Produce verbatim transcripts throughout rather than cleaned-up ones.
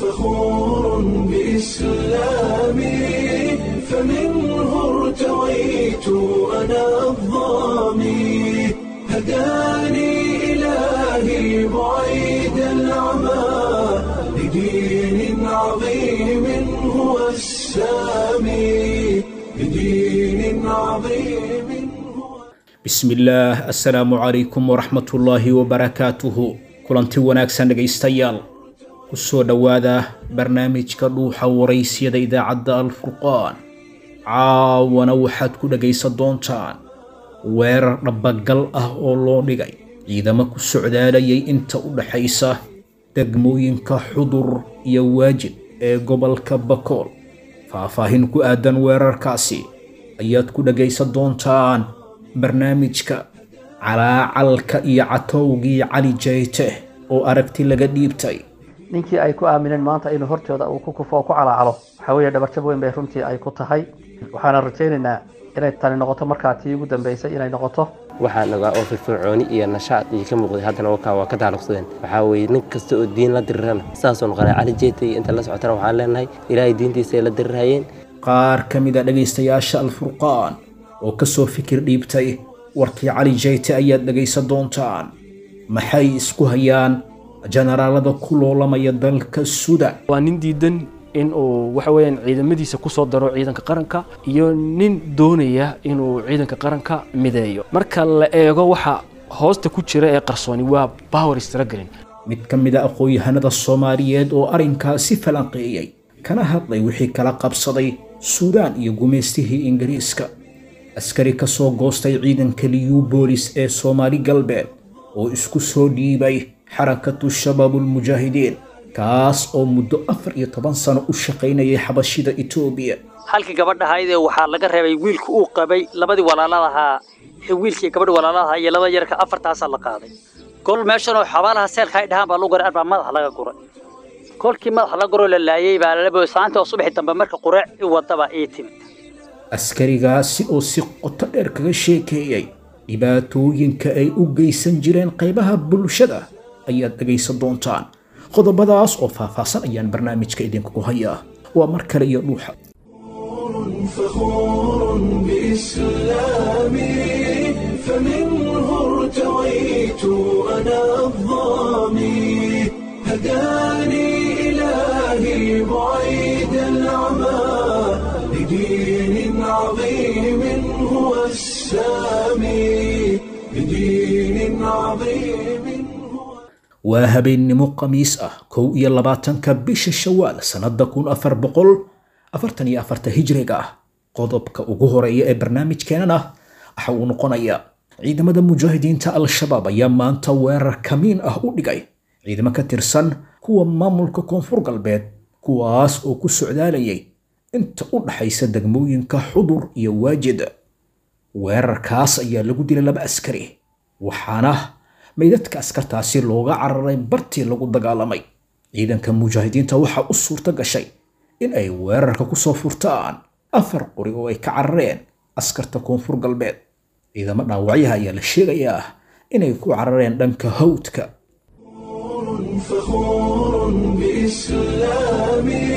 فخور بإسلامي، فمنه ارتويت أنا الظامي، هداني إلهي بعيد العمى لدين عظيم هو السامي، لدين عظيم هو. Bismillaah, assalaamu calaykum waraxmatullaahi wabarakaatuhu. Kulanti wanaagsan dhegaystayaal, ku soo dhowaada barnaamijka Dhuuxa Waraysiyada idaacadda Alfurqaan. Caawana waxaad ku dhegaysan doontaan weerar dhabagal ah oo loo dhigay ciidamo ku socdaalayay inta u dhaxaysa degmooyinka Xudur iyo Waajid ee gobolka Bakool. Faahfaahin ku aadan weerarkaasi ayaad ku dhegaysan doontaan barnaamijka. Calaacalka iyo catowgii Cali Jayte oo aragti laga dhiibtay. Ninkii ay ku aamineen maanta inuu hortooda uu ku kufo oo ku calaacalo, waxaa weeye dhabarjab weyn bay runtii ay ku tahay. Waxaana rajaynaynaa inay tani noqoto markaa tii ugu dambeysay inay noqoto. Waxaan ogaa oo firfircooni iyo nashaad iyo ka muuqday, haddana wakaa waa ka taaluqsadeen. Waxaa weeye nin kasta oo diin la dirirana saasoo noqonay. Cali Jeeta iyo inta la socotana waxaan leenahay Ilaahay diintiisa ay la dirirhayeen. Qaar ka mid a dhegaystayaasha Alfurqaan oo kasoo fikir dhiibtay warkii Cali Jayte ayaad dhegaysan doontaan. Maxay isku hayaan jenaraalada ku loolamaya dalka Sudan? Waa nin diidan in uu waxa weeyaan ciidamadiisa ku soo daro ciidanka qaranka iyo nin doonaya inuu ciidanka qaranka mideeyo. Marka la eego waxa hoosta ku jira ee qarsooni waa power struggling. Mid ka mid a aqoon-yahanada Soomaaliyeed oo arrinkaasi falanqeeyey kana hadlay wixii kala qabsaday Suudaan iyo gumaystihii Ingiriiska. Askari ka soo goostay ciidanka Liyu Boolis ee Soomaali Galbeed oo isku soo dhiibay Xarakatu Shabaabulmujaahidiin, kaas oo muddo afar iyo toban sano u shaqaynayay xabashida Etoobiya. Halkii gabadha ahaydee waxaa laga reebay wiilka uu qabay, labadii walaalaha, wiilkii gabadha walaalaha iyo laba yarka, afartaasaa la qaaday. Kol meeshan oo xabaalaha seelka ay dhahaan baa lagu guray, arbaa madaxa laga guray. Kolkii madaxa la guro la laayay baa lala booy saanta oo subaxii dambe marka qureec i wadaba ii timid. Askarigaasi oo si qoto dheer kaga sheekeeyey dhibaatooyinka ay u geysan jireen qaybaha bulshada ayaad dhegaysan doontaan. Qodobadaas oo faahfaahsan ayaan barnaamijka idinkugu hayaa. Waa mar kale iyo Dhuuxa. فخور بإسلامي، فمنه ارتويت أنا الظامي، هداني إلهي بعيد العمى لدين عظيم هو السامي، لدين عظيم هو. Waa habeennimo Khamiis ah, kow iyo labaatanka bisha Shawaal sannadda kun afar boqol afartan iyo afarta hijriga ah. Qodobka ugu horeeya ee barnaamijkeenana waxa uu noqonayaa ciidamada Mujaahidiinta Al-Shabaab ayaa maanta weerar kamiin ah u dhigay ciidamo ka tirsan kuwa maamulka Koonfur Galbeed, kuwaas oo ku socdaalayay inta u dhaxaysa degmooyinka Xudur iyo Waajid. Weerarkaas ayaa lagu dilay laba askari, waxaana meydadka askartaasi looga cararay bartii lagu dagaalamay. Ciidanka Mujaahidiinta waxaa u suurto gashay in ay weerarka ku soo furtaan afar qori oo ay ka carareen askarta Koonfur Galbeed. Ciidamo dhaawacyaha ayaa la sheegayaa inay ku carareen dhanka hawdka. فخور بإسلامي،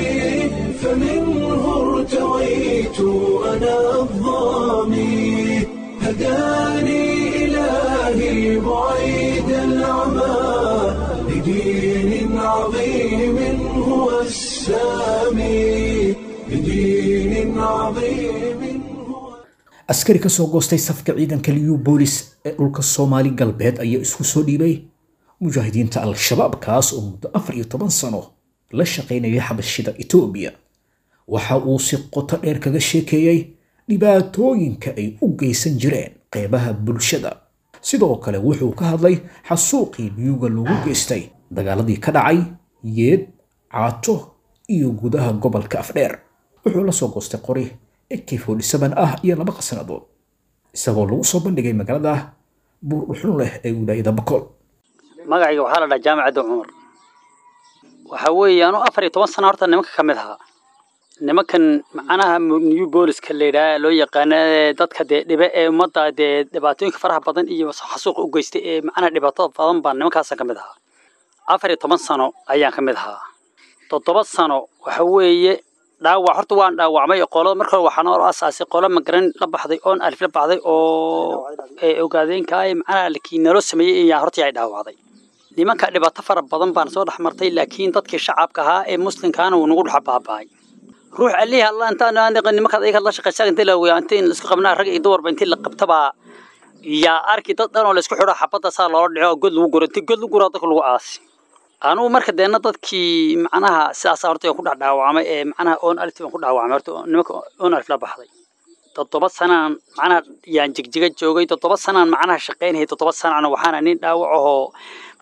فمنه ارتويت أنا الظامي، هداني إلهي بعيد العمى لدين عظيم هو السامي، لدين عظيم هو. Askari ka soo goostay safka ciidanka Liyu Boolis ee dhulka Soomaali Galbeed ayaa isku soo dhiibay Mujaahidiinta Al-Shabaab, kaas oo muddo afar iyo toban sano la shaqaynayay xabashida Etoobiya. Waxa uu si qoto dheer kaga sheekeeyey dhibaatooyinka ay u geysan jireen qeybaha bulshada. Sidoo kale wuxuu ka hadlay xasuuqii Liyuga lagu geystay dagaaladii ka dhacay Yeed, Caato iyo gudaha gobolka Afdheer. Wuxuu la soo goostay qori A K ah iyo laba qasnadood, isagoo lagu soo bandhigay magaalada Buurdhuxun leh ee wilaayada Bakool. Magacayga waxaa la dhahaa Jaamacadda Cumar. Waxaa weeye anu afar iyo toban sano horta nimanka ka mid ahaa, nimankan macnaha new booliska la yidhaha loo yaqaana, dadka dee dhibe ee ummadda dee dhibaatooyinka faraha badan iyo xasuuqa u geystay ee macnaha dhibaatada badan baan nimankaasan ka mid ahaa. Afar iyo toban sano ayaan ka mid ahaa. Toddoba sano waxa weeye dhaawac horta waan dhaawacmay qolada marka hore waxaan oo asaasay qolo magaran la baxday oon alif la baxday oo ee ogaadeenka ay macnaha laakiin naloo sameeyay ayaa horta ay dhaawacday. Nimanka dhibaato fara badan baan soo dhex martay, laakiin dadkii shacabka ahaa ee muslimkaana wuu nagu dhex baaba'ay. Ruux alihi Allah intaan aan nimanka ayaga la shaqeysan intii la weeyaa intii la isku qabnaa rag iyo dumarba intii la qabtaba yaa arki dad dhan oo la isku xidho xabadda saa loola dhico god lagu guro intii god lagu guro dadka lagu aasi. Anuu marka deena dadkii macnaha sidaas horta ku dhex dhaawacmay ee macnaha oon alif baan ku dhaawacmay horta nimanka oon alif la baxday. Toddoba sanaan macnaha yaan jigjiga joogay, toddoba sanaan macnaha shaqeynayay, toddoba sanaan waxaana nin dhaawac ahoo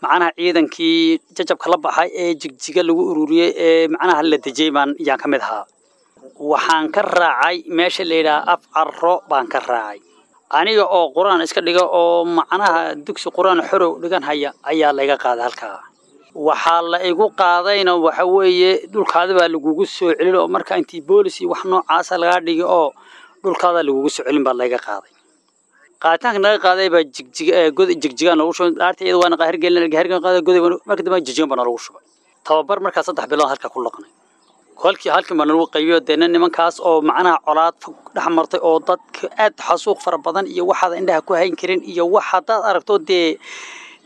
macnaha ciidankii jajabka la baxay ee jigjiga lagu ururiyay ee macnaha la dejiyay baan yaan ka mid ahaa. Waxaan ka raacay meesha la yidhaha af carro baan ka raacay. Aniga oo quraan iska dhiga oo macnaha dugsi quraan xorow dhigan haya ayaa layga qaaday halkaa. Waxaa la igu qaadayna waxa weeye dhulkaada baa lagugu soo celin oo marka intii boolis iyo wax noocaasa lagaa dhigi oo dhulkaada lagugu soo celin baa layga qaaday. Qaaditaanka naga qaaday baa jigjiga god jigjigaan lagu shubay dhaarta iyada waana qaahir gelin hergelin qaaday goday marka dambe jigjigan baa lagu shubay. Tababar markaa saddex bilood halka ku laqnay. Kolkii halkii baa lagu qaybiyo deena nimankaas oo macnaha colaad fog dhex martay oo dadka aad xasuuq fara badan iyo waxaad indhaha ku hayn karin iyo wax hadaad aragto dee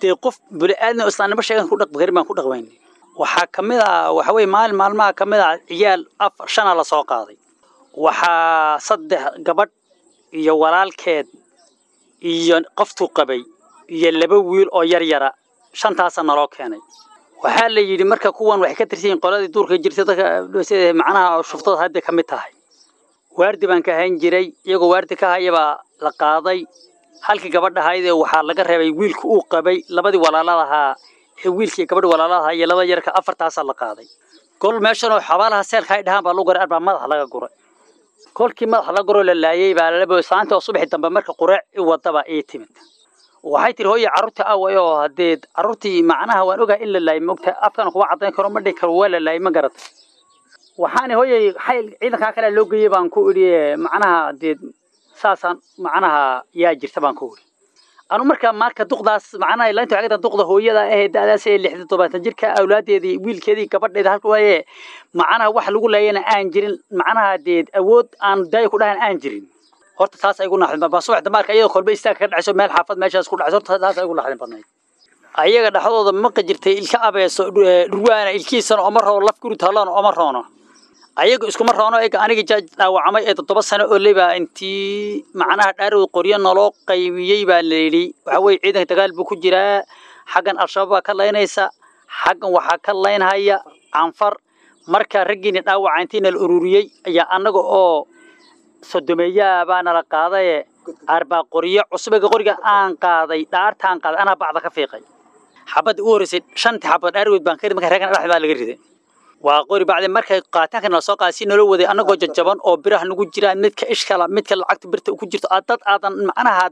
dee qof bini'aadmi oo islaamnimo sheegan ku dhaqmi karin baan ku dhaqmaynay. Waxaa ka mid ah waxa weeye maalin maalmaha ka mid ah ciyaal afar shana la soo qaaday. Waxaa saddex gabadh iyo walaalkeed iyo qoftuu qabay iyo laba wiil oo yar yara shantaasa naloo keenay. Waxaa la yidhi marka kuwan waxay ka tirsan yihiin qoladii duurka jirtay dadka sida macnaha shuftada hadda ka mid tahay. Waardi baan ka hayn jiray iyagoo waardi ka haya baa la qaaday. Halkii gabadha ahayd ee waxaa laga reebay wiilka uu qabay labadii walaalada ahaa ee wiilkii gabadha walaalada ahaa iyo laba yarka afartaasaa la qaaday. Gol meeshan oo xabaalaha seelka ay dhahaan baa lagu guray arbaa madaxa laga guray. Kolkii madaxa laga guro la laayay baa laba saanta oo subaxii dambe marka quraac i wadaba ii timid. Waxay tiri hooyo carruurta away oo haddee carruurtii macnaha waan ogahay in la laayay moogta afkana kuma caddayn karo ma dhihi karo waa la laayay ma garatay. Waxaana hooyay xayl ciidankaa kale loo geeyay baan ku idhi macnaha dee saasaan macnaha yaa jirta baan ku idhi. Anu marka marka duqdaas macnaha ilaanta waxay ka tahay duqda hooyada ah ee da'daas ee lixdan todobaatan jirka awlaadeedii wiilkeedii gabadheeda halka waaye macnaha wax lagu laayana aan jirin macnaha dee awood aan daayo ku dhahan aan jirin. Horta taas ay igu naxdin baa subax dambe marka iyadoo kolba istaag ka dhacayso meel xaafad meeshaas ku dhacayso horta taas ay igu naxdin badnayd. Ayaga dhexdooda maqa jirtay ilka abeeso dhurwaana ilkiisana oma roono laf guri taalana oma roono. Ayaga iskuma roono eega aniga dhaawacmay ee toddoba sano oo leba intii macnaha dhaarow qoryo naloo qaybiyey baa la yidhi waxa weeye ciidanka dagaal buu ku jiraa xaggan al-shabaab baa ka laynaysa xaggan waxaa ka laynhaya canfar. Marka raggiina dhaawaca intii nala ururiyey ayaa annaga oo sodomeeyaa baa nala qaadaye arbaa qoryo cusub eega qoriga aan qaaday dhaartaan qaaday anaa bacda ka fiiqay. Xabadda u horreysay shantii xabad dhaarweyd baan ka riday marka raggan dhexda baa laga riday. Waa qori bacdi markay qaataanka nala soo qaaday si nala waday annagoo jajaban oo biraha nagu jiraan midka ishkala midka lacagta birta ku jirto dad aadan macnaha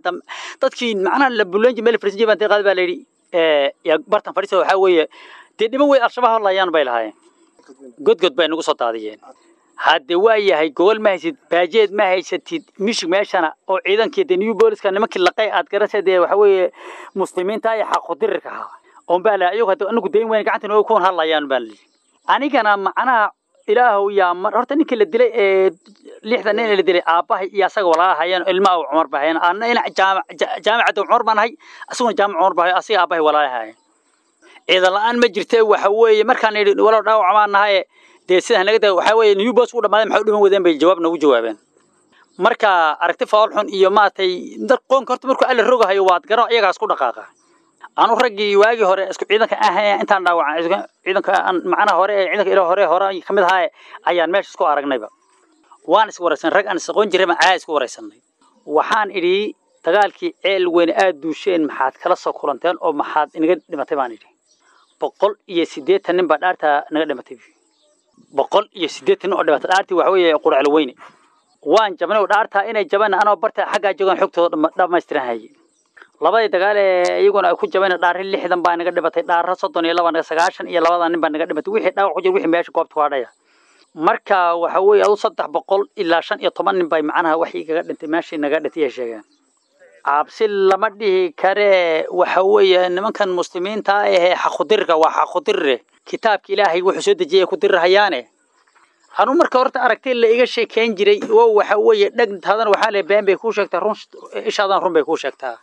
dadkii macnaha la bulanji meel fariisan jiray baan qaaday baa la yidhi ee yaa bartan fadhiisa waxaa weeye dee dhiman wey al-shabaab hadlayaan bay lahaayeen. Godgod bay nagu soo daadiyeen. Hadde waa yahay gogol ma haysid baajeed ma haysatid mishig meeshana oo ciidankii dee new booliska nimankii laqay aad garanaysa dee waxa weeye muslimiinta iyo xaqudirirka ahaa oon baa la ayagu hadda anagu dayn weyn gacanta nooga kuwan hadlayaan baa la yidhi. Anigana macnaha ilaahow yaa mar horta ninkii la dilay ee lixdan nin la dilay aabbahay iyo asaga walaalahayeen ilmaha Cumar baa hayeen anna ina jaamac jaamacada Cumar baan ahay asaguna jaamac Cumar baa asiga aabbahay walaalahayeen. Ciidan la'aan ma jirtee waxa weeye markaan idhi walaal dhaawac baan nahay dee sidaa naga daa waxa weeye new boss u dhamaaday maxay u dhiman wadeen bay jawaab nagu jawaabeen. Marka aragti fool xun iyo maatay dad qoonka horta markuu alla rogahayo waad garo iyagaas ku dhaqaaqa. Anu raggii waagii hore isku ciidanka ahayn intaan dhaawacan ciidanka macnaha hore ee ciidanka ilaa hore hore ka mid ahaa ayaan meesha isku aragnayba. Waan is waraysan rag aan isaqoon jiray ma aad isku waraysanay. Waxaan idhi dagaalkii ceel weyn aad duusheen maxaad kala soo kulanteen oo maxaad inaga dhimatay baan idhi. Boqol iyo siddeetan nin baa dhaarta naga dhimatay. Boqol iyo siddeetan oo dhimatay dhaartii waxa weeye quracl weyne. Waan jabnay oo dhaarta inay jabaan anoo barta xaggaa joogan xogtooda dhammaystiran hayay. Labadii dagaal ee iyaguna ay ku jabeen dhaarri lixdan baa naga dhimatay dhaarro soddon iyo laba naga sagaashan iyo labada nin baa naga dhimatay wixii dhaawac ku jira wixii meesha goobta ku hadhaya. Marka waxa weeye adu saddex boqol ilaa shan iyo toban nin bay macnaha wax igaga dhintay meeshii naga dhintay ay sheegeen. Cabsi lama dhihi karee, waxa weeye nimankan muslimiinta ahee xaqudirka waa xaqudirre, kitaabka Ilaahay wuxuu soo dejiyay ku dirirahayaane. Anu marka horta aragtay la iga sheekeyn jiray oo waxa weeye dhegtaadana waxaa le been bay kuu sheegtaa, run ishaadan run bay kuu sheegtaa.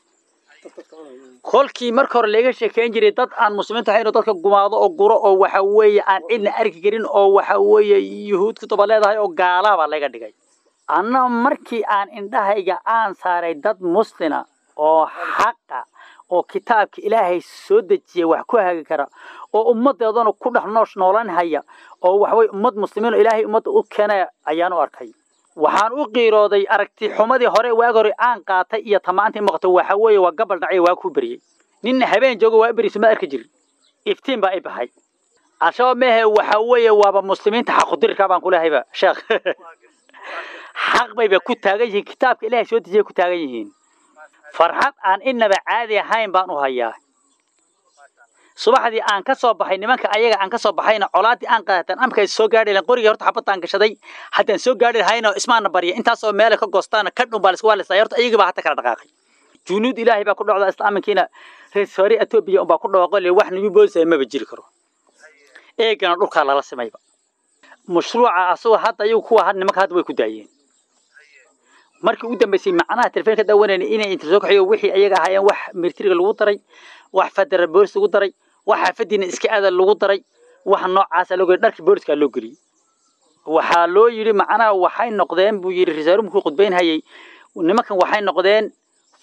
Kolkii marka hore laga sheekeyn jiray dad aan muslimiinta ahayn oo dadka gumaado oo guro oo waxa weeye aan cidna arki karin oo waxa weeye yuhuud ku daba leedahay oo gaalaa baa laga dhigay. Anna markii aan indhahayga aan saaray dad muslina oo xaqa oo kitaabka Ilaahay soo dejiyay wax ku hagi kara oo ummadeedana ku dhex noosh noolan haya oo waxa weeye ummad muslimiin oo Ilaahay ummadda u keenay ayaan u arkay. Waxaan u qiirooday aragti xumadii hore waag hore aan qaatay iyo tamaantii muuqato. Waxa weeye waa gabal dhacay, waa ku beriyey, nin habeen joogo waa beriso ma arki jirin, iftiin baa i baxay. Al-Shabaab mehe, waxa weeye waaba muslimiinta xaqudirka baan kulehayba sheekh, xaq bayba ku taagan yihiin, kitaabka Ilaahay soo dejiyay ku taagan yihiin. Farxad aan inaba caadi ahayn baan u hayaa. Subaxdii aan ka soo baxay nimanka ayaga aan ka soo baxayna colaadii aan qaatan amka soo gaadhi lahayn qorigii horta xabadaan gashaday haddaan soo gaadhi lahayna ismaana barya intaasoo meele ka goostaana ka dhun baa la isku waalistay. Horta ayagii baa hata kala dhaqaaqay, junuud Ilaahay baa ku dhacda, islaaminkiina reer hore Etoobiya unbaa ku dhawaaqo le wax nagu boosay maba jiri karo, eegana dhulkaa lala simayba mashruuca asagoo hadda ayagu kuwa had nimanka hadda way ku daayeen. Markii ugu dambeysay macnaha telefoonka daawanayna inay inta soo kaxiyo wixii ayaga ahaayeen wax militariga lagu daray, wax federal booliis lagu daray, wax xaafadiina iska aada lagu daray, wax noocaasa loo geliyay, dharkii booliska loo geliyey. Waxaa loo yidhi macnaha waxay noqdeen buu yidhi rasaaru markuu khudbayn hayay nimankan waxay noqdeen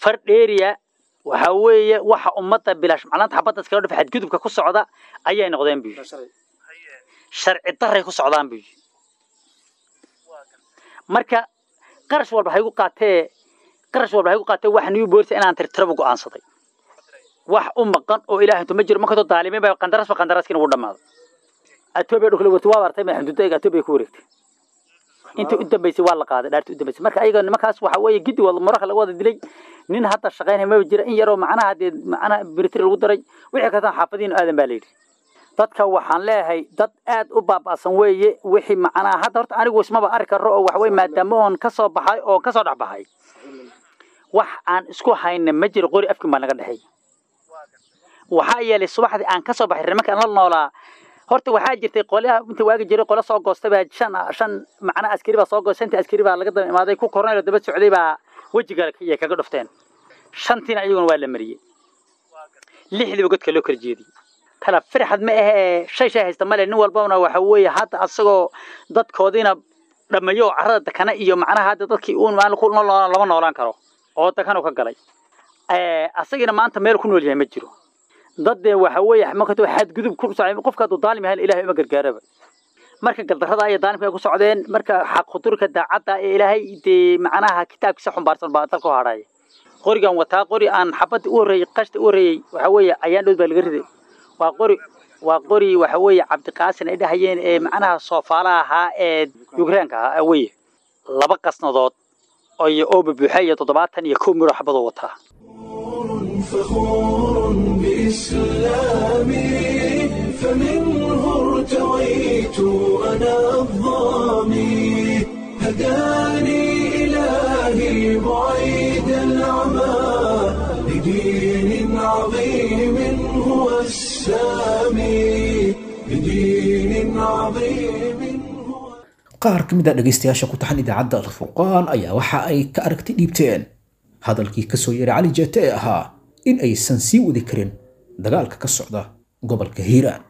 far dheeriya, waxa weeye waxa ummadda bilaash macnaanta xabadda iskaga dhufa xadgudubka ku socda ayay noqdeen buu yidhi, sharci darray ku socdaan buu yidhi. Marka qarash walba haygu qaatee, qarash walba haygu qaatee wax new booliis inaan tirtiraba go'aansaday, wax u maqan oo Ilaahay intuu ma jiro. Markastoo daalimiin baa qandarasba qandaraaskiina wuu dhammaaday. Etoobiya dhulka la wartay waa bartay xuduudda Etoobiya ku wareegtay, intii u dambeysay waa la qaaday dhaartii u dambeysay. Marka ayaga nimankaas waxa weeye giddi wada maraka laga wada dilay, nin hadda shaqaynaya maba jira, in yaroo macnaha dee macnaha military lagu daray wixii kastaan xaafadiin aadan baa la yidhi. Dadka waxaan leeyahay dad aad u baaba'san weeye wixii macnaha hadda horta anigu ismaba arki karo oo waxa weeye maadaama oon ka soo baxay oo ka soo dhex baxay wax aan isku hayna ma jiro, qori afkin baa naga dhexeey. Waxaa yeelay subaxdii aan ka soo baxay nimanka aan la noolaa horta waxaa jirtay qolyaha inta waagi jiray qolo soo goostay baa shan shan macnaha askari baa soo goostay, shantii askari baa laga daba imaaday, ku kornaylo daba socday baa wejiga ay kaga dhufteen, shantiina iyaguna waa la mariyey, lixdiiba godka loo kala jeediyey. Kala farxad ma ahee, shay shay haysta male, nin walbana waxa weeye hadda asagoo dadkoodiina dhammeeyo oo carrada dakana iyo macnaha hadda dadkii uun maalin ku nool lama noolaan karo oo dakanu ka galay, asagiina maanta meel ku nool yahay ma jiro. Dad dee waxa weeye marka xadgudub ku socday, qofka hadduu daalim yahay Ilaahay uma gargaaraba. Marka gardarrada iyo daalimka ay ku socdeen, marka xaq khudurka daacadda ee Ilaahay dee macnaha kitaabkiisa xumbaarsan baa dalka u hadhaya. Qorigan wataa qori aan xabadda u horreeyey qashta u horreeyey waxa weeye ayaan dhow baa laga riday, waa qori waa qori waxa weeye Cabdiqaasin ay dhahayeen ee macnaha soofaalaha ahaa ee Yukraanka ahaa weeye, laba qasnadood oo oo buuxa iyo toddobaatan iyo kow miro xabadoo wataa. فخور بإسلامي فمنه ارتويت أنا الظامي هداني إلهي بعيد العمى لدين عظيم هو السامي لدين عظيم هو Qaar ka mid a dhegaystayaasha ku taxan idaacadda Alfurqaan ayaa waxa ay ka aragti dhiibteen hadalkii ka soo yeeray Cali Jeete ee ahaa in aysan sii wadi karin dagaalka ka socda gobolka Hiiraan.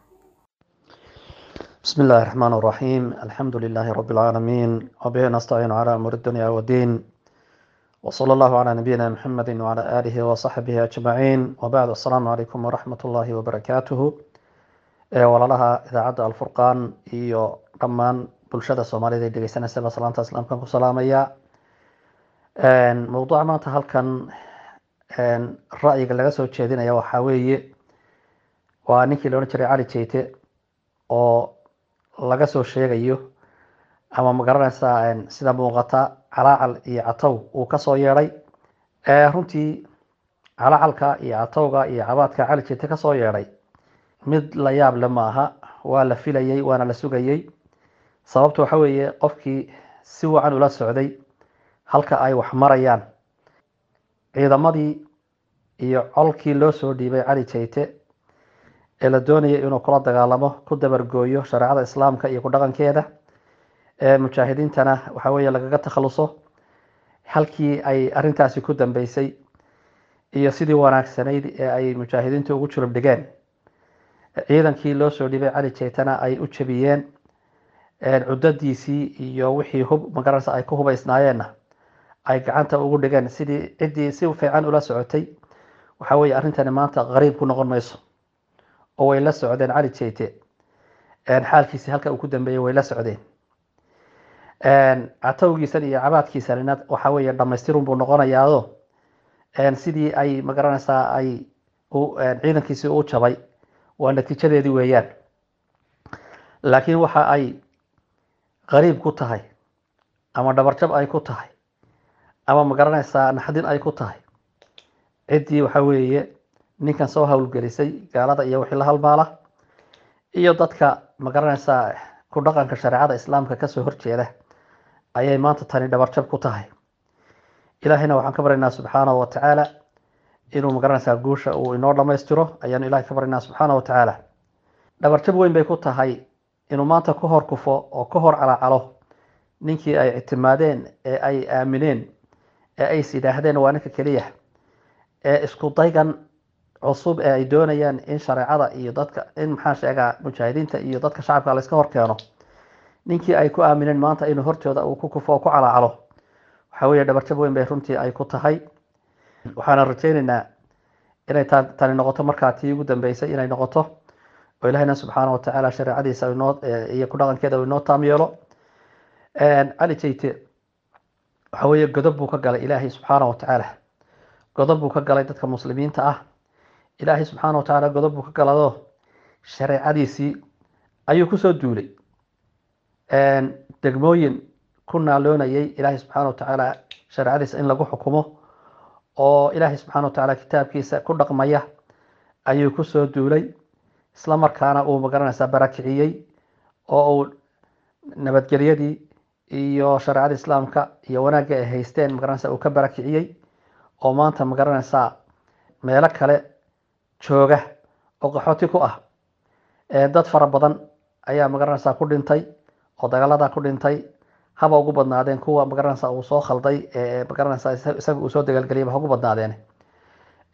بسم الله الرحمن الرحيم، الحمد لله رب العالمين، وبه نستعين على أمور الدنيا والدين، وصلى الله على نبينا محمد وعلى آله وصحبه أجمعين، وبعد، السلام عليكم ورحمة الله وبركاته. Walaalaha idaacadda Alfurqaan iyo dhammaan bulshada Soomaalida ee dhegeysanaysa salaanta islaamkan ku salaamaya. Mowduuca maanta halkan ra'yiga laga soo jeedinaya waxaa weeye waa ninkii la odhan jiray Cali Jeyte oo laga soo sheegayo ama ma garanaysaa sida muuqata calaacal iyo catow uu kasoo yeedhay. Runtii calacalka iyo catowga iyo cabaadka Cali Jeyte kasoo yeedhay mid la yaab le maaha, waa la filayey waana la sugayey. Sababta waxa weeye qofkii si wacan ula socday halka ay wax marayaan. Ciidamadii iyo colkii loo soo dhiibay Cali Jayte ee la doonayay inuu kula dagaalamo, ku dabargooyo shareecada islaamka iyo ku dhaqankeeda, ee mujaahidiintana waxa weeye lagaga takhaluso, halkii ay arrintaasi ku dambeysay iyo sidii wanaagsanayd ee ay mujaahidiintu ugu julub dhigeen ciidankii loo soo dhibay Cali Jaytana ay u jabiyeen cudadiisii iyo wixii hub magaranaysa ay ku hubaysnaayeenna ay gacanta ugu dhigeen, sidii ciddii si fiican ula socotay waxa weeye arrintani maanta qariib ku noqon mayso, oo way la socdeen Cali Jayte xaalkiisii halka uu ku dambeeyey way la socdeen. Catowgiisan iyo cabaadkiisanina waxa weeye dhammaystirun buu noqonayaado, sidii ay magaranaysaa ay ciidankiisii u jabay waa natiijadeedii weeyaan. Laakiin waxa ay qariib ku tahay ama dhabarjab ay ku tahay ama magaranaysaa naxdin ay ku tahay ciddii waxa weeye ninkan soo howlgelisay, gaalada iyo wixii la halmaala iyo dadka magaranaysaa ku dhaqanka shareecada islaamka kasoo horjeeda ayay maanta tani dhabarjab ku tahay. Ilaahayna waxaan ka baryaynaa subxaanahu wa tacaala inuu magaranaysaa guusha uu inoo dhammaystiro ayaanu Ilahay ka baryaynaa subxaanahu wa tacaala. Dhabarjab weyn bay ku tahay inuu maanta ka hor kufo oo ka hor calacalo ninkii ay ictimaadeen ee ay aamineen ee ay is yidhaahdeen waa ninka keliya ee isku daygan cusub ee ay doonayaan in shareecada iyo dadka in maxaa sheegaa mujaahidiinta iyo dadka shacabka la iska hor keeno, ninkii ay ku aamineen maanta inuu hortooda uu ku kufo oo ku calacalo waxa weeye dhabarjab weyn bay runtii ay ku tahay. Waxaana rajaynaynaa inay tani noqoto markaa tii ugu dambeysay inay noqoto, oo Ilaahayna subxaanahu wa tacaala shareecadiisa inoo iyo ku dhaqankeeda uu inoo taam yeelo. Cali Jayte waxa weeye godob buu ka galay Ilaahay subxaanahu wa tacaala, godob buu ka galay dadka muslimiinta ah. Ilaahay subxaanahu wa tacaala godob buu ka galado shareecadiisii ayuu kusoo duulay. Degmooyin ku naaloonayay Ilaahay subxaanahu wa tacaala shareecadiisa in lagu xukumo oo Ilaahay subxaanahu wa tacaala kitaabkiisa ku dhaqmaya ayuu kusoo duulay, isla markaana uu magaranaysaa barakiciyey oo uu nabadgelyadii iyo shareecada islaamka iyo wanaagga ay haysteen magaranaysaa uu ka barakiciyey, oo maanta magaranaysaa meelo kale jooga oo qaxooti ku ah. Dad fara badan ayaa magaranaysaa ku dhintay oo dagaalada ku dhintay, haba ugu badnaadeen kuwa magaranaysaa uu soo khalday ee magaranaysaa isaga uu soo dagaalgeliyay ha ugu badnaadeen.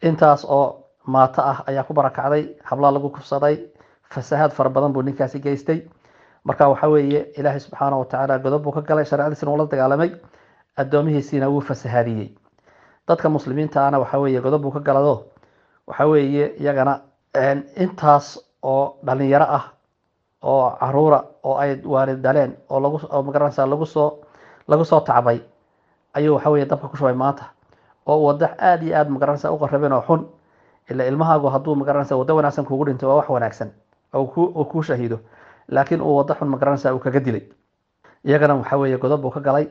Intaas oo maato ah ayaa ku barakacday, hablaa lagu kufsaday, fasahaad fara badan buu ninkaasi geystay. Marka waxa weeye Ilaahay subxaanahu wa tacaala godob buu ka galay, shareecadiisina wuu la dagaalamay, addoomihiisiina wuu fasahaadiyey. Dadka muslimiinta ahna waxa weeye godob buu ka galado, waxa weeye iyagana intaas oo dhalinyaro ah oo caruura oo ay waalid dhaleen oo lagu oo magaranaysaa lagu soo lagu soo tacbay ayuu waxa weeye dabka ku shubay maanta, oo wadax aad iyo aad magaranaysaa u qarrabeen oo xun. Ila ilmahaagu hadduu magaranaysaa waddo wanaagsan kuugu dhinto waa wax wanaagsan oo ku uu kuu shahiido, laakiin uu waddo xun magaranaysaa uu kaga dilay. Iyagana waxa weeye godob buu ka galay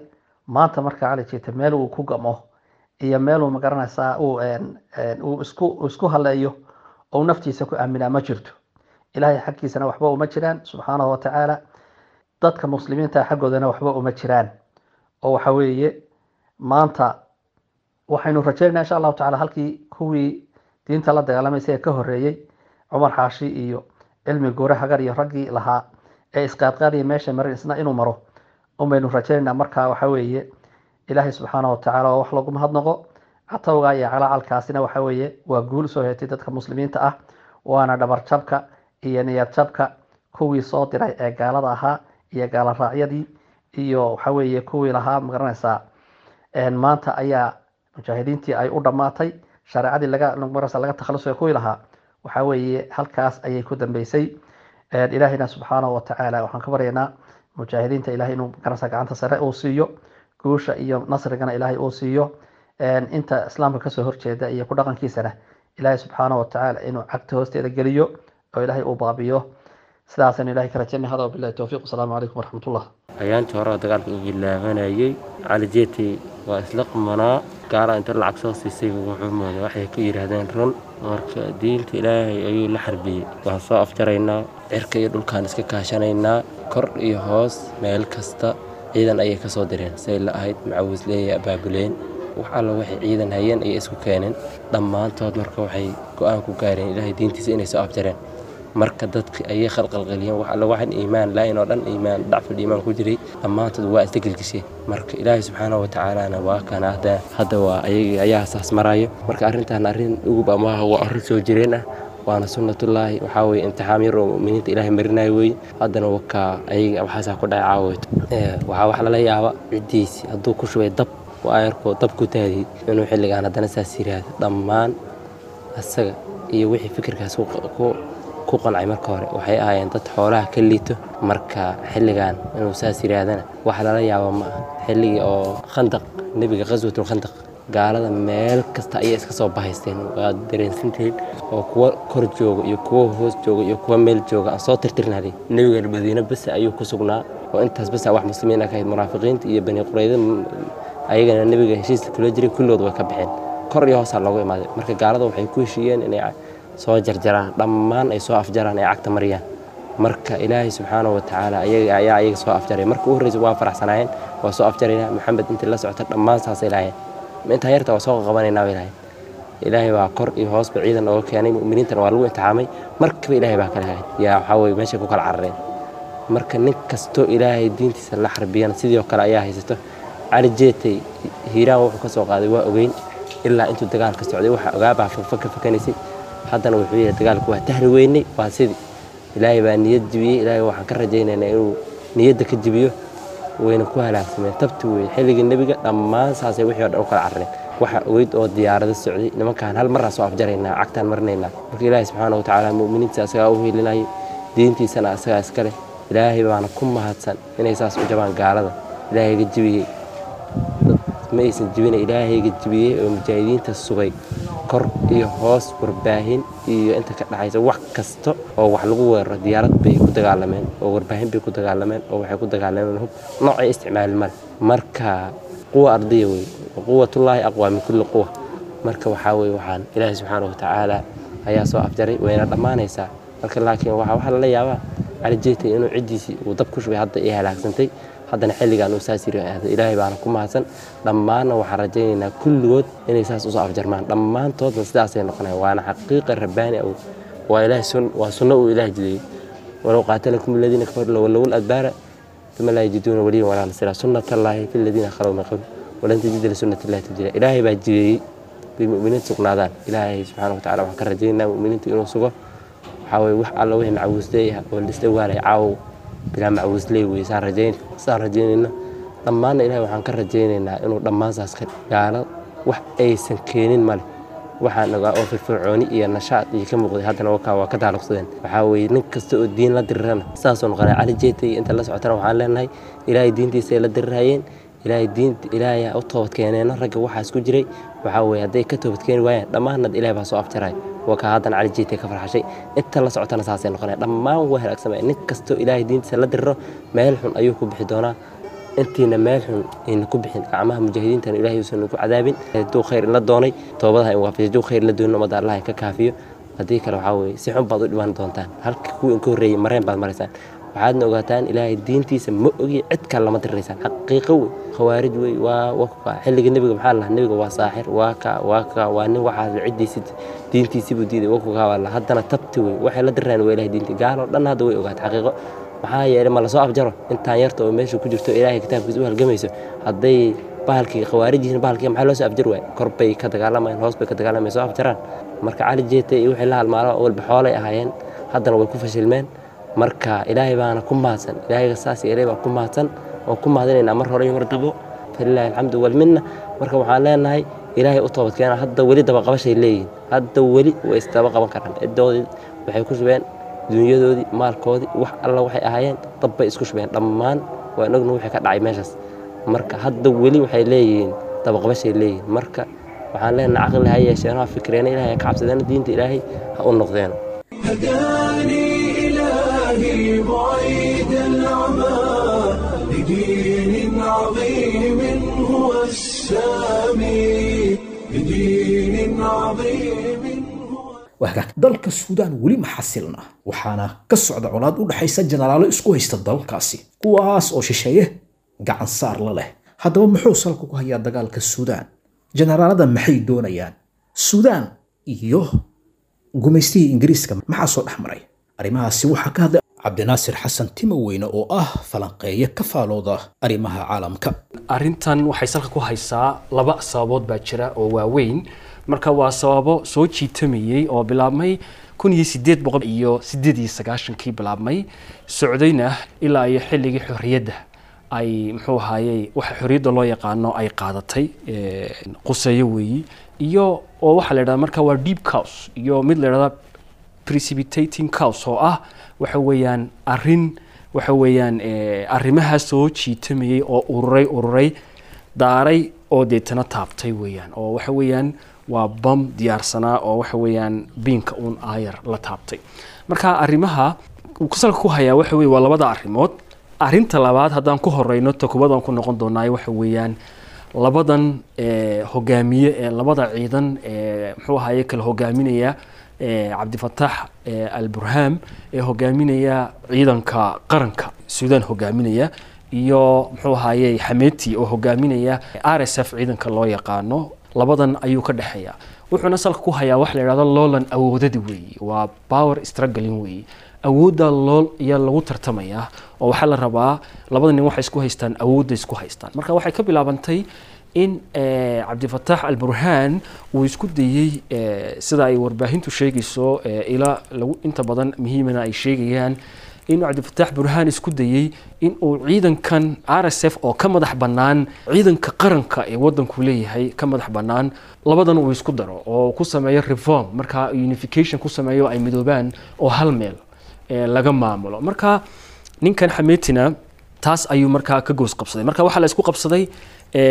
maanta. Marka Cali Jayte meel uu ku gamo iyo meel uu magaranaysaa uu uu isku isku haleeyo oo naftiisa ku aaminaa ma jirto. Ilaahay xaggiisana waxba uma jiraan subxaanahu wa tacaala, dadka muslimiinta xaggoodana waxba uma jiraan. Oo waxa weeye maanta waxaynu rajaynaynaa insha allahu tacaala halkii kuwii diinta la dagaalamaysa ee ka horreeyey Cumar Xaashi iyo Cilmi Guure Hagar iyo raggii lahaa ee isqaadqaadaya meesha marin isna inuu maro unbaynu rajaynaynaa. Marka waxa weeye Ilaahay subxaanahu wa tacaala waa wax lagu mahadnaqo. Catowga iyo calacalkaasina waxa weeye waa guul soo hetay dadka muslimiinta ah, waana dhabarjabka iyo niyad jabka kuwii soo diray ee gaalada ahaa iyo gaala raacyadii iyo waxa weeye kuwii lahaa magaranaysaa maanta ayaa mujaahidiintii ay u dhammaatay shareecadii laga magaranaysaa laga takhalusay kuwii lahaa waxa weeye halkaas ayay ku dambeysay. Ilaahayna subxaanahu wa tacaala waxaan ka baryaynaa mujaahidiinta Ilahay inuu magaranaysaa gacanta sare uu siiyo, guusha iyo nasrigana Ilaahay uu siiyo, inta islaamka kasoo horjeeda iyo ku dhaqankiisana Ilaahay subxaanahu wa tacaala inuu cagta hoosteeda geliyo oo Ilaahay uu baabiyo. Sidaasaynu Ilahay ka rajaynay. Hada wabillahi towfiiq, wasalaamu calaykum waraxmatullah. Ayaantii hore oo dagaalka uu bilaabanayay Cali Jayte waa isla qumanaa, gaala inta lacag soo siisay wuxuu mooday waxay ku yidhaahdeen run. Marka diinta Ilaahay ayuu la xarbiyey. Waan soo afjaraynaa, cirka iyo dhulkaan iska kaashanaynaa, kor iyo hoos meel kasta ciidan ayay kasoo direen say la ahayd macawisleeyay abaabuleen. Wax alla waxay ciidan hayeen ayay isku keeneen dhammaantood. Marka waxay go'aan ku gaareen Ilaahay diintiisa inay soo afjareen. Marka dadki ayay khalkhalgeliyeen, wax alla waxan iimaan laayin oo dhan, iimaan dacful iimaan ku jiray, dhammaantood waa isla gelgisheen. Marka Ilaahay subxaanahu watacaalana waa kana hadda hadda waa ayaga ayaa saas maraayo. Marka arrintan arrin ugub ama waa arrin soo jireen ah, waana sunnatullaahi. Waxaa weeye imtixaan yar oo mu'miniinta Ilaahay marinayo weeye. Haddana wakaa ayaga waxaasaa ku dhacay caawayto. Waxaa wax lala yaaba ciddiisi hadduu ku shubay dab oo ayarkoo dab ku daadiyey inuu xilligaan haddana saas yiraahdo. Dhammaan asaga iyo wixii fikirkaas ku ku qancay marka hore waxay ahaayeen dad xoolaha ka liito. Marka xilligan inuu saas yiraahdana wax lala yaabo ma aha. Xilligii oo Khandaq nebiga, qaswatul Khandaq, gaalada meel kasta ayay iska soo bahaysteen, waad dareensantihiin, oo kuwa kor jooga iyo kuwa hoos jooga iyo kuwa meel jooga aan soo tirtirnay. Nebiga Madiine bas ayuu ku sugnaa oo intaas bas wax muslimiin ah ka ahayd. Munaafiqiinta iyo Bani Qurayda ayagana nebiga heshiiska kula jiray kulligood way ka baxeen, kor iyo hoosaa loogu imaaday. Marka gaalada waxay ku heshiiyeen inay soo jarjaraan dhammaan, ay soo afjaraan, ay cagta mariyaan. Marka Ilaahay subxaanahu watacaala ayaga ayaa ayaga soo afjaray. Marka u horreysa waa faraxsanaayeen, waa soo afjaraynaa Maxamed intii la socota dhammaan saasay lahaayeen, intaa yarta waa soo qabanaynaa bay lahayn. Ilaahay baa kor iyo hoosba ciidan ooga keenay, mu'miniintana waa lagu imtixaamay. Markaba Ilaahay baa kala hagay, yaa waxaa weye meeshay ku kala carareen. Marka nin kastoo Ilaahay diintiisa la xarbiyana sidoo kale ayaa haysato. Cali Jeetay Hiiraan wuxuu ka soo qaaday waa ogeyn, ilaa intuu dagaalka socday waxa ogaabaa fakfaka fakanaysay. Haddana wuxuu yidhi dagaalku waa tahri weynay, waa sidii Ilaahay baa niyad jibiyey. Ilaahay waxaan ka rajaynaynaa inuu niyadda ka jibiyo, wayna ku halaagsameen. Tabti weeye xilligii nebiga dhammaan saasay wixii oo dhan u kala carareen. Waxa ogeyd oo diyaarado socday nimankaan hal marraa soo afjaraynaa, cagtaan marinaynaa. Marka Ilaahay subxaana watacaala mu'miniinta asagaa u hilinayay, diintiisana asagaa iska leh. Ilaahay baana ku mahadsan inay saas u jabaan gaalada. Ilaahayga jibiyey dad ma aysan jibina, Ilaahayga jibiyey oo mujaahidiinta sugay kor iyo hoos, warbaahin iyo inta ka dhexaysa wax kasta oo wax lagu weeraro. Diyaarad bay ku dagaalameen oo warbaahin bay ku dagaalameen oo waxay ku dagaalameen hub noocay isticmaalin male. Marka quwa ardiya wey, quwatullaahi aqwaa min kulli quwa. Marka waxaa weye waxaan Ilaahay subxaana watacaala ayaa soo afjaray, wayna dhammaanaysaa. Marka laakiin waxaa waxaa lala yaabaa Cali Jeetay inuu ciddiisii uu dab ku shubay hadda ay halaagsantay, haddana xilligan uu saas yiri aado. Ilaahay baana ku mahadsan. Dhammaanna waxaan rajaynaynaa kulligood inay saas usoo afjarmaan, dhammaantoodna sidaasay noqonayaan, waana xaqiiqa rabbaani ah, waa Ilaahay sun, waa sunno uu Ilaahay jideeyey. Walow qaatalakum aladiina kafaruu lawallow adbaara uma laa yajiduuna waliyan walaa nasiira, sunnatallaahi fi ladiina khalow min qabl walan tajida lisunnati llahi tabdiila. Ilaahay baa jideeyey bay mu'miniinta sugnaadaan. Ilaahay subxaana watacaala waxaan ka rajaynaynaa mu'miniinta inuu sugo. Waxaa weye wax alla wixii macawisley ah oo la isla waalay caawow bilaa macawisley weye, saan rajayn saan rajaynayna. Dhammaanna Ilahay waxaan ka rajaynaynaa inuu dhammaan saas ka gaalo wax aysan keenin male. Waxaan ogaa oo firfircooni iyo nashaad iyo ka muuqday, haddana wakaa waa ka taaluqsadeen. Waxaa weeye nin kasta oo diin la dirirana saasuu noqonaya. Cali Jeetay inta la socotana waxaan leenahay Ilaahay diintiisa ay la dirirayeen, Ilaahay diinta Ilaahay ha u toobad keeneeno ragga waxaas ku jiray. Waxaa weeye hadday ka toobad keeni waayaan dhammaanna Ilaahay baa soo afjaray. Waa kaa haddana Cali Jeetay ka farxashay, inta la socotana saasay noqonaya, dhammaan waa halaagsamaya. Nin kastoo Ilaahay diintiisa la diriro meel xun ayuu ku bixi doonaa. Intiina meel xun ayna ku bixin gacmaha mujaahidiintana Ilaahay uusan ku cadaabin. Hadduu khayr la doonay toobadaha in waafajiyo, hadduu khayr la doonin ummadda Allah ka kaafiyo. Haddii kale waxaa weeye si xun baad u dhibaan doontaan, halka kuwii inka horreeyey mareen baad maraysaan. Waxaadna ogaataan Ilaahay diintiisa ma ogi cid kale lama diriraysaan, xaqiiqo wey. Khawaarij wey waa waa xilliga nebiga maxaa la lahaa nebiga waa saaxir, waa ka waa ka waa nin waxaas ciddiisi diintiisi buu diiday, waa kukaa waa la haddana tabti wey waxay la dirirayan waa Ilaahay diinti. Gaaloo dhan hadda way ogaatay xaqiiqo, maxaa yeelay ma lasoo afjaro intaan yarta oo meesha ku jirto Ilaahay kitaabkiisa u halgamayso. Hadday bahalkii khawaarij yihiin bahalkii maxaa loo soo afjari waay? Kor bay ka dagaalamayaan, hoos bay ka dagaalamayaan, soo afjaraan. Marka Cali Jeetay iyo wixii la halmaalo walba xoolay ahaayeen, haddana way ku fashilmeen. Marka Ilaahay baana ku mahadsan, Ilaahayga saas yeelay baa ku mahadsan, waan ku mahadinaynaa mar hore iyo mar dabo, falilaahi alxamdu walminna. Marka waxaan leenahay Ilaahay u toobad keena. Hadda weli dabaqabashay leeyihiin, hadda weli way isdaba qaban karaan. Ciddoodii waxay ku shubeen dunyadoodii, maalkoodii, wax alla waxay ahaayeen dab bay isku shubeen dhammaan, waan ogna wixii ka dhacay meeshaas. Marka hadda weli waxay leeyihiin dabaqabashay leeyihiin. Marka waxaan leenahay caqli ha yeesheen, ha fikreena, Ilaahay ha ka cabsadeen, diinta Ilaahay ha u noqdeen. هداني إلهي بعيد العمى لدين عظيم هو السامي، لدين عظيم هو. Wahagaag, dalka Suudaan weli ma xasilna, waxaana ka socda colaad u dhexaysa jenaraalo isku haysta dalkaasi, kuwaas oo shisheeye gacan saar la leh. Haddaba muxuu salka ku hayaa dagaalka Suudaan? Jenaraalada maxay doonayaan? Suudaan iyo gumaystihii Ingiriiska maxaa soo dhex maray? Arrimahaasi waxaa ka hadlay Cabdinaasir Xasan Timoweyne oo ah falanqeeye ka faalooda arrimaha caalamka. Arrintan waxay salka ku haysaa laba sababood baa jira oo waaweyn. Marka waa sababo soo jiitamayey oo bilaabmay kun iyo sideed boqol iyo sideed iyo sagaashankii bilaabmay, socdayna ilaa iyo xilligii xorriyadda ay muxuu ahaayey waxa xorriyadda loo yaqaano ay qaadatay quseeyo weeyi, iyo oo waxaa la yidhahdaa marka waa deep cause iyo mid la yidhahdaa precipitating cause, oo ah waxa weeyaan arrin waxa weeyaan arrimaha soo jiitamayey oo ururay ururay daaray oo deetana taabtay weeyaan, oo waxa weeyaan waa bam diyaarsanaa oo waxa weeyaan biinka uun aayar la taabtay. Marka arrimaha uu salka ku hayaa waxa weeye waa labada arrimood. Arrinta labaad haddaan ku horeyno, ta koowaad aan ku noqon doonaayo, waxa weeyaan labadan hogaamiye ee labada ciidan ee muxuu ahaye kala hogaaminaya, Cabdifataax Alburham ee hogaaminaya ciidanka qaranka Suudaan hogaaminaya iyo muxuu ahaye Xameti oo hogaaminaya R S F ciidanka loo yaqaano, labadan ayuu ka dhexeeya. Wuxuuna salka ku hayaa wax la yidhahdo loolan awoodada weeyi, waa power struggling weeyi, awoodda lool ayaa lagu tartamayaa oo waxaa la rabaa labada nin waxay isku haystaan awoodda isku haystaan. Marka waxay ka bilaabantay in Cabdifataax Alburhaan uu isku dayey, sida ay warbaahintu sheegayso ilaa lagu inta badan muhiimana ay sheegayaan, inuu Cabdifataax Burhaan isku dayey in uu ciidankan R S F oo ka madax bannaan ciidanka qaranka ee waddanku leeyahay ka madax bannaan labadan uu isku daro oo ku sameeyo reform, marka unification ku sameeyo ay midoobaan oo hal meel laga maamulo. Marka ninkan Xameetina taas ayuu markaa ka goos qabsaday. Marka waxaa la isku qabsaday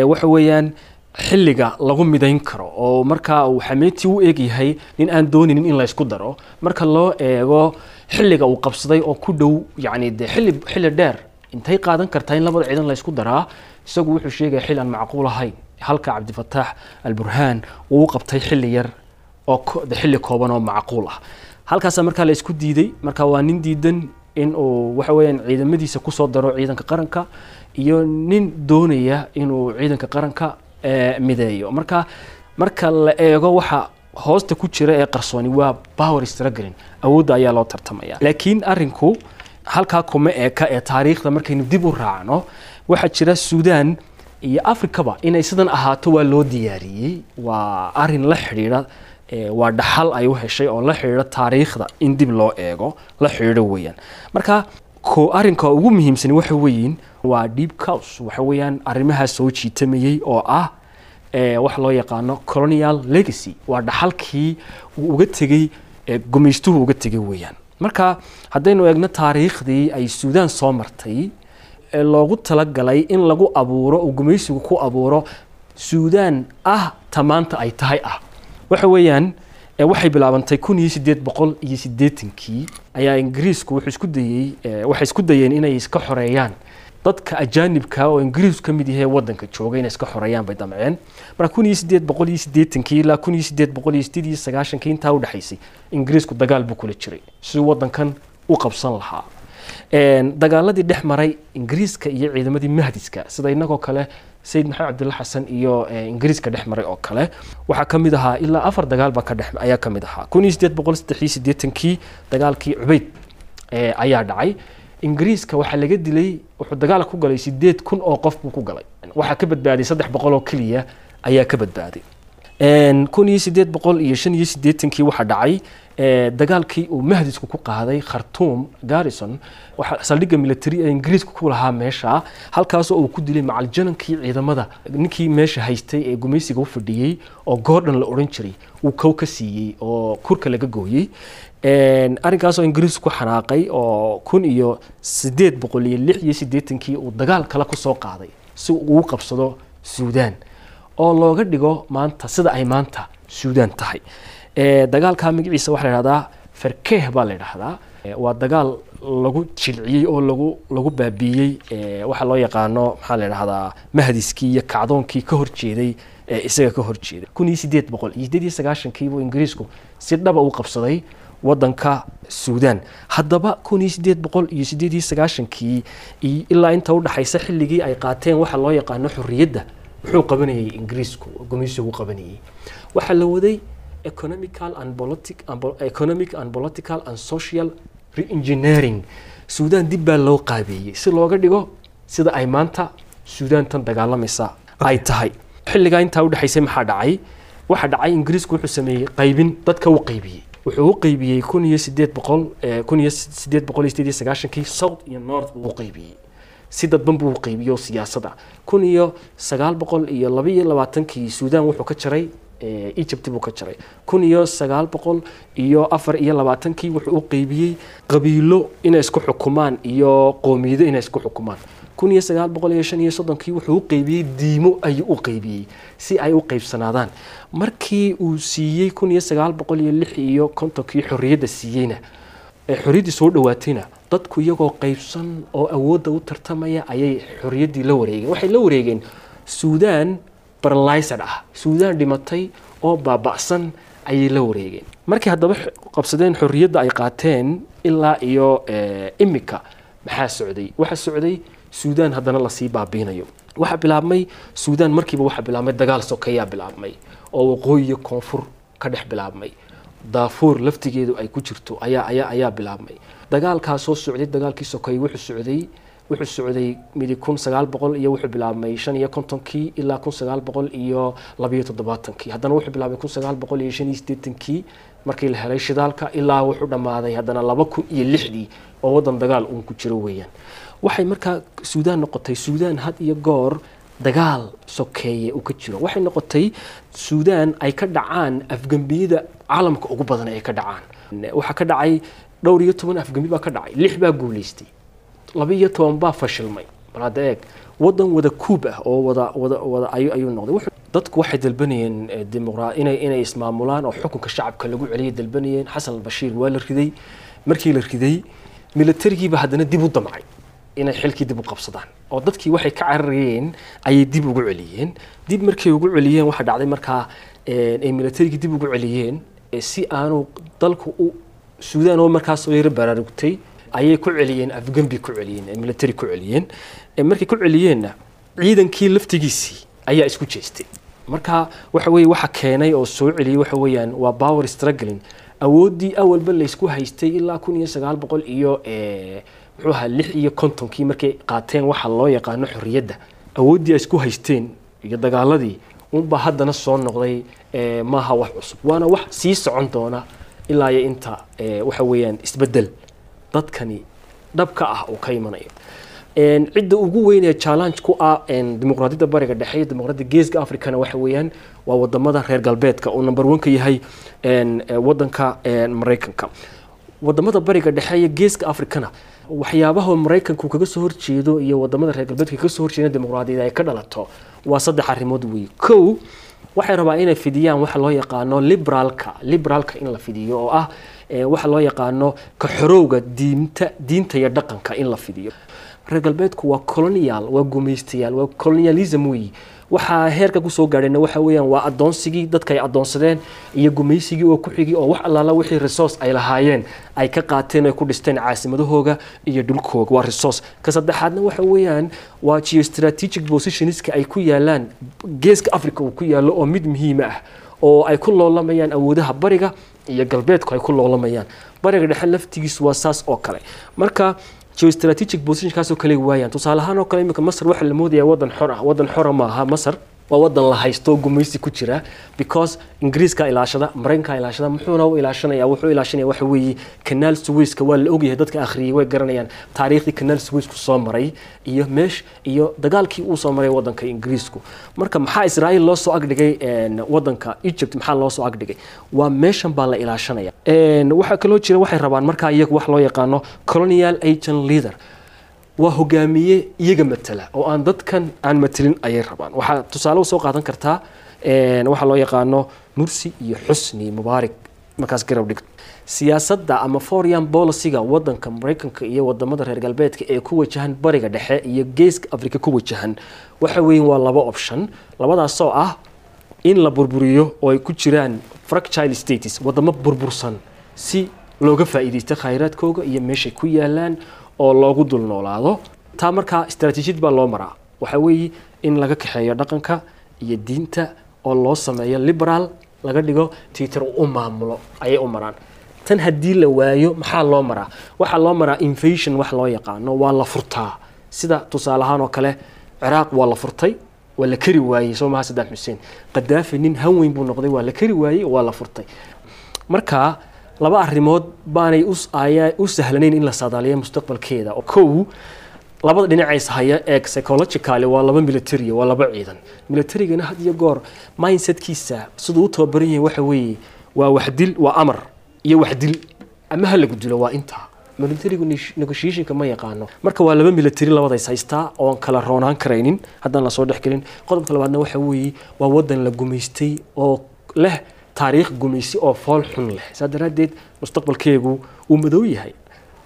waxa weeyaan xilliga lagu midayn karo, oo markaa uu Xameeti u eegyahay nin aan dooninin in la isku daro marka loo eego xilliga uu qabsaday oo ku dhow yacni dee xilli xilli dheer intay qaadan kartaa in labada ciidan la isku daraa. Isagu wuxuu sheegaya xilli aan macquul ahayn, halka Cabdifataax Alburhaan uu u qabtay xilli yar oo xilli kooban oo macquul ah. Halkaasaa markaa la isku diiday. Marka waa nin diidan in uu waxa weeyaan ciidamadiisa kusoo daro ciidanka qaranka iyo nin doonaya inuu ciidanka qaranka mideeyo. Marka marka la eego waxa hoosta ku jira ee qarsooni waa power struggling, awoodda ayaa loo tartamaya. Laakiin arrinku halkaa kuma eka ee taariikhda markaynu dib u raacno waxaa jira Suudaan iyo Afrikaba inay sidan ahaato waa loo diyaariyey, waa arrin la xidhiidha, waa dhaxal ay u heshay oo la xidhiidha taariikhda in dib loo eego la xidhiidho weeyaan. Marka ko arrinka ugu muhiimsan waxa weeyin waa deep cause, waxa weeyaan arrimaha soo jiitamayay oo ah wax loo yaqaano colonial legacy, waa dhaxalkii uu uga tegey gumaystuhu uga tegey weeyaan. Marka haddaynu eegno taariikhdii ay Suudaan soo martay ee loogu talagalay in lagu abuuro uu gumaysigu ku abuuro Suudaan ah tamaanta ay tahay ah, waxa weeyaan waxay bilaabantay kun iyo sideed boqol iyo siddeetankii ayaa Ingiriisku wuxuu isku dayey waxay isku dayeen inay iska xoreeyaan dadka ajaanibka oo Ingiriisku ka mid yahay waddanka jooga, inay iska xoreeyaan bay damceen. Marka kun iyo sideed boqol iyo siddeetankii ilaa kun iyo sideed boqol iyo siddeed iyo sagaashankii intaa u dhexaysay Ingiriisku dagaal buu kula jiray si uu waddankan u qabsan lahaa. Dagaaladii dhex maray Ingiriiska iyo ciidamadii Mahdiska sida inagoo kale Sayid Maxamed Cabdulla Xasan iyo Ingiriiska dhex maray oo kale waxaa ka mid ahaa ilaa afar dagaal baa ka dhex ayaa ka mid ahaa. kun iyo sideed boqol saddex iyo siddeetankii dagaalkii Cubayd ayaa dhacay. Ingiriiska waxaa laga dilay, wuxuu dagaal ku galay sideed kun oo qof buu ku galay, waxaa ka badbaaday saddex boqol oo keliya ayaa ka badbaaday. kun iyo sideed boqol iyo shan iyo siddeetankii waxaa dhacay dagaalkii uu Mahdisku ku qaaday Khartoum Garrison, waxa saldhigga military ee Ingiriisku ku lahaa meesha, halkaas oo uu ku dilay macaljanankii ciidamada ninkii meesha haystay ee gumaysiga u fadhiyey oo Gordon la oran jiray uu kow ka siiyey oo kurka laga gooyey. Arrinkaas oo Ingiriisku ku xanaaqay oo kun iyo sideed boqol iyo lix iyo siddeetankii uu dagaal kale ku soo qaaday si uu u qabsado Suudaan oo looga dhigo maanta sida ay maanta Suudaan tahay. Dagaalka magaciisa waxaa la yidhahdaa Farkeeh baa la yidhahdaa, waa dagaal lagu jilciyey oo lagu lagu baabiiyey waxa loo yaqaano maxaa la yidhahdaa Mahdiskii iyo kacdoonkii ka horjeeday isaga ka horjeeday. kun iyo sideed boqol iyo siddeed iyo sagaashankii buu Ingiriisku si dhaba u qabsaday waddanka Suudaan. Haddaba kun iyo sideed boqol iyo siddeed iyo sagaashankii ilaa inta u dhaxaysa xilligii ay qaateen waxa loo yaqaano xorriyadda Muxuu qabanayay Ingiriisku, gumaysigu qabanayay? Waxaa la waday economical and politic and po- economic and political and social re-engineering. Suudaan dib baa loo qaabeeyey si looga dhigo sida ay maanta Suudaan tan dagaalamaysa ay tahay. Xilligaa intaa udhexaysay maxaa dhacay? Waxaa dhacay, Ingiriisku wuxuu sameeyey qaybin, dadka u qaybiyey. Wuxuu u qaybiyey kun iyo sideed boqol eh, kun iyo sideed boqol iyo sideed iyo sagaashankii south iyo north buu u qaybiyey, si dadban buu u qaybiyey oo siyaasadda. kun iyo sagaal boqol iyo laba iyo labaatankii Suudaan wuxuu ka jaray eh, Egypt buu ka jaray. kun iyo sagaal boqol iyo afar iyo labaatankii wuxuu u qaybiyey qabiilo inay isku xukumaan iyo qoomiyado inay isku xukumaan. kun iyo sagaal boqol iyo shan iyo soddonkii wuxuu u qaybiyey diimo ayuu u qaybiyey si ay u qaybsanaadaan. Markii uu siiyey kun iyo sagaal boqol iyo lix iyo kontonkii xorriyadda siiyeyna, ee xorriyaddii soo dhawaatayna, dadku iyagoo qaybsan oo awoodda u tartamaya ayay xorriyaddii la wareegeen. Waxay la wareegeen Suudaan paralyzed ah, Suudaan dhimatay oo baaba'san ayay la wareegeen. Markii haddaba x- qabsadeen xorriyadda ay qaateen ilaa iyo eh, imika maxaa socday? Waxaa socday Suudaan haddana lasii baabiinayo. Waxaa bilaabmay Suudaan markiiba waxaa bilaabmay dagaal sokeeyaa bilaabmay oo waqooyi iyo koonfur ka dhex bilaabmay, Daafuur laftigeedu ay ku jirto ayaa ayaa ayaa bilaabmay. Dagaalkaa soo socday, dagaalkii sokeeye wuxuu socday wuxuu socday midi kun sagaal boqol iyo wuxuu bilaabmay shan iyo kontonkii ilaa kun sagaal boqol iyo labiyo toddobaatankii. Haddana wuxuu bilaabmay kun sagaal boqol iyo shan iyo siddeetankii markii la helay shidaalka, ilaa wuxuu dhammaaday haddana laba kun iyo lixdii oo waddan dagaal uun ku jiro weeyaan. Waxay markaa Suudaan noqotay Suudaan had iyo goor dagaal sokeeye uu ka jiro. Waxay noqotay Suudaan ay ka dhacaan afgembiyada caalamka ugu badan ay ka dhacaan. Waxaa ka dhacay dhowr iyo toban afgembi baa ka dhacay, lix baa guulaystay, laba iyo toban baa fashilmay. Bal hadda eeg, waddan wada kuub ah oo wada wada wada ayuu ayuu noqday. Wuxuu- dadku waxay dalbanayeen eh, dimuqraa inay inay ismaamulaan oo xukunka shacabka lagu celiyay dalbanayeen. Xasan Albashiir waa la riday. Markii la riday, militarigiiba haddana dib u damcay inay xilkii dib u qabsadaan oo dadkii waxay ka cararayeen ayay dib ugu celiyeen. Dib markay ugu celiyeen, waxaa dhacday markaa eh, ay militarigii dib ugu celiyeen eh, si aanu dalku u Suudaan oo markaas soo yara baraarugtay ayay ku celiyeen afgembi, ku celiyeen eh, military ku celiyeen. Eh, markay ku celiyeenna, ciidankii laftigiisii ayaa isku jeestay. Marka waxa weeye waxa keenay oo soo celiyey waxa weeyaan waa power struggling, awooddii awalba laysku haystay ilaa kun iyo sagaal boqol iyo eh, muxuu ahaa lix iyo kontonkii markay qaateen waxa loo yaqaano xorriyadda. Awooddii ay isku haysteen iyo dagaaladii unbaa haddana soo noqday. eh, maaha wax cusub, waana wax sii socon doona ilaa iyo inta eh, waxa weeyaan isbeddel dadkani dhabka ah uu ka imanayo. Een, cidda ugu weyn ee challenge ku ah een, dimuqraadiyadda Bariga Dhexe iyo dimuqraadiyadda Geeska Africana waxa weeyaan waa wadamada reer galbeedka oo number one ka yahay een, eh, wadanka een, Maraykanka. Wadamada Bariga Dhexe iyo Geeska Africana waxyaabaha Maraykanku kaga soo horjeedo iyo wadamada reer galbeedka kaga soo horjeeda dimuqraadiyadda ay ka dhalato waa saddex arrimood weeye. Kow, waxay rabaa inay fidiyaan waxa loo yaqaano liberaalka, liberaalka in la fidiyo oo ah eh, waxa loo yaqaano ka xorowga diinta diinta iyo dhaqanka in la fidiyo. Reer galbeedku waa colonial, waa gumaystayaal, waa colonialism weeyi. Waxaa heerka kusoo gaadhayna waxa weeyaan waa addoonsigii dadka ay addoonsadeen iyo gumaysigii oo ku xigay oo wax allaala wixii resource ay lahaayeen ay ka qaateen, ay ku dhisteen caasimadahooga iyo dhulkooga, waa resource. Ka saddexaadna waxa weeyaan waa geostrategic positionska ay ku yaalaan Geeska Africa uu ku yaallo oo mid muhiim ah oo ay ku loolamayaan awoodaha bariga iyo galbeedku ay ku loolamayaan. Bariga Dhexe laftigiisu waa saas oo kale. Marka geostrategic positionkaas oo kale waayaan. Tusaale ahaan oo kale, iminka Masar waxaa la moodayaa wadan xor ah. Wadan xora maaha Masar, waa wadan la haysto oo gumaysi ku jira, because Ingiriiska ilaashada, Maraykanka ilaashada. Muxuuna u ilaashanaya? Wuxuu ilaashanaya waxa weeye Kanaal Suwayska. Waa la ogyahay, dadka akhriyay way garanayaan taariikhdii Kanaal Suwaysku soo maray iyo meesh iyo dagaalkii uu soo maray wadanka Ingiriisku. Marka maxaa Israa'iil loo soo agdhigay een, wadanka Egypt maxaa loo soo agdhigay? Waa meeshan baa la ilaashanaya. Een, waxaa kaloo jira, waxay rabaan markaa iyagu wax loo yaqaano colonial agent leader, waa hogaamiye iyaga matala oo aan dadkan aan matelin ayay rabaan. Waxaa tusaale usoo qaadan kartaa een, waxaa loo yaqaano Mursi iyo Xusni Mubaarak. Markaas garab dhig siyaasadda ama foreign policy-ga wadanka Maraykanka iyo wadamada reer galbeedka ee ku wajahan Bariga Dhexe iyo Geeska Afrika ku wajahan, waxa weeye waa laba option, labadaasoo ah in la burburiyo oo ay ku jiraan fragile states, wadamo burbursan, si looga faa'iidaysto khayraadkooga iyo meeshay ku yaalaan oo loogu dul noolaado. Taa markaa istaraatiijiyad baa loo maraa, waxa weeye in laga kaxeeyo dhaqanka. Iyo diinta oo loo sameeyo liberal laga dhigo, Twitter u maamulo ayay u maraan. Tan haddii la waayo, maxaa loo maraa? Waxaa loo maraa invasion wax loo yaqaano, waa la furtaa. Sida tusaale ahaan oo kale Ciraaq waa la furtay, waa la kari waayey, soo maha? Saddam Xuseen, Qadaafi nin han weyn buu noqday, waa la kari waayey, waa la furtay. Marka laba arrimood baanay ayaa u sahlanayn in la saadaaliyo mustaqbalkeeda. Kow, labada dhinacays haya eeg, psychologically waa laba military, waa laba ciidan. Militarigana had iyo goor mindsetkiisa siduu u tababaran yahay waxa weeye waa waxdil, waa amar iyo waxdil ama ha lagu dilo, waa intaa. Militarigu negotiationka ma yaqaano. Marka waa laba military labadays haystaa oon kala roonaan karaynin haddaan lasoo dhexgelin. Qodobka labaadna waxa weeye waa wadan la gumaystay oo leh taariikh gumaysi oo fool xun leh. Saa daraaddeed mustaqbalkeegu wuu madow yahay.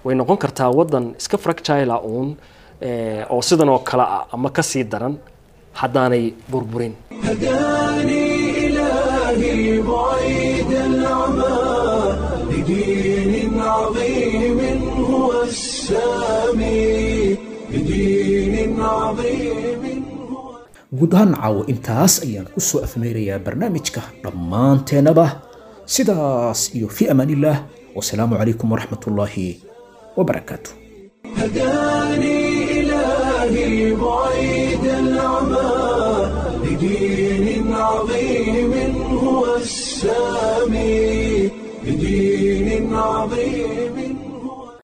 Way noqon kartaa wadan iska fragile uun oo sidan oo kale ah ama kasii daran haddaanay burburin. هداني إلهي بعيد العمى لدين عظيم هو السامي، لدين عظيم هو. Guud ahaan caawo intaas ayaan ku soo afmeerayaa barnaamijka. Dhammaanteenaba sidaas iyo fi amaanillaah, wasalaamu calaykum waraxmat ullaahi wabarakaatu. هداني إلهي بعيد العمى لدين عظيم هو السامي، لدين عظيم.